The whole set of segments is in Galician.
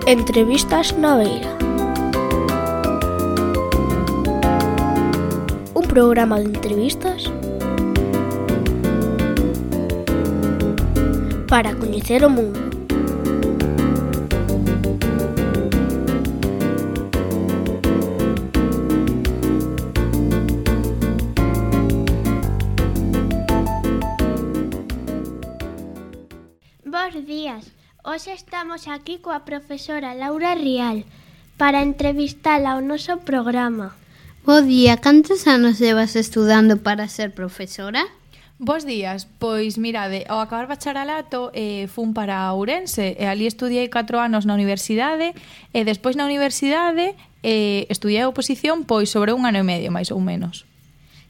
Entrevistas na Beira. Un programa de entrevistas para coñecer o mundo. Bos días. Hoxe estamos aquí coa profesora Laura Rial para entrevistala ao noso programa. Bo día, cantos anos levas estudando para ser profesora? Bos días, pois mirade, ao acabar bacharelato fun para Ourense e ali estudiei 4 anos na universidade e despois na universidade estudiei oposición pois sobre 1 ano e medio, máis ou menos.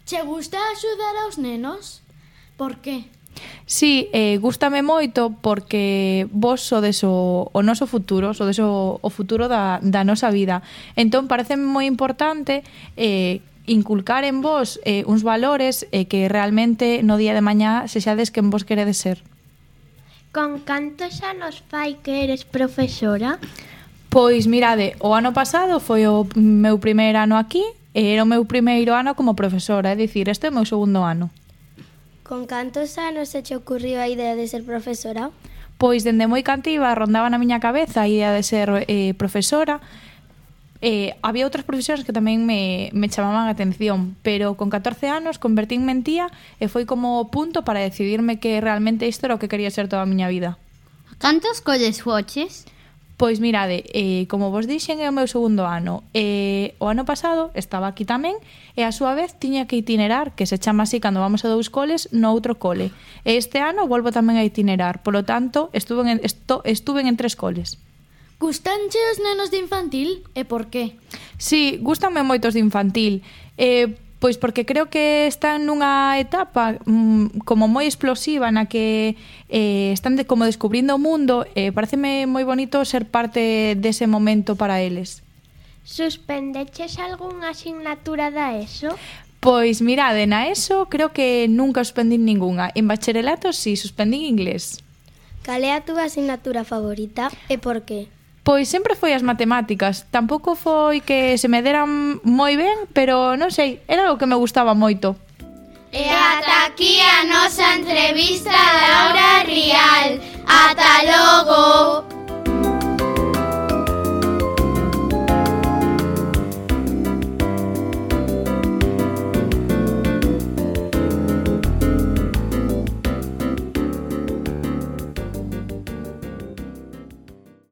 Che gusta axudar aos nenos? Por que? Sí, gústame moito porque vos sodes o noso futuro, sodes o futuro da nosa vida. Entón, pareceme moi importante inculcar en vos uns valores que realmente no día de mañá sexades quen vos queredes ser. Con cantos anos fai que eres profesora? Pois mirade, o ano pasado foi o meu primeiro ano aquí e era o meu primeiro ano como profesora, é dicir, este é o meu segundo ano. Con cantos anos se che ocurriu a idea de ser profesora? Pois dende moi cantiva rondaba na miña cabeza a idea de ser profesora. Había outras profesións que tamén me chamaban a atención, pero con 14 anos convertínme en tía e foi como o punto para decidirme que realmente isto era o que quería ser toda a miña vida. Cantos colles foches? Pois mirade, como vos dixen é o meu segundo ano. O ano pasado estaba aquí tamén e a súa vez tiña que itinerar, que se chama así cando vamos a 2 coles, no outro cole. E este ano volvo tamén a itinerar, polo tanto estuve en 3 coles. Gustanche os nenos de infantil e por qué? Sí, gustanme moitos de infantil. Pois porque creo que están nunha etapa como moi explosiva na que están como descubrindo o mundo e pareceme moi bonito ser parte dese momento para eles. Suspendeches algunha asignatura da ESO? Pois mirade, na ESO creo que nunca suspendín ningunha. En bacharelato sí, suspendín inglés. Cal é a túa asignatura favorita e por qué? Pois sempre foi as matemáticas. Tampouco foi que se me deran moi ben, pero non sei, era algo que me gustaba moito. E ata aquí a nosa entrevista a Laura Rial. Ata logo!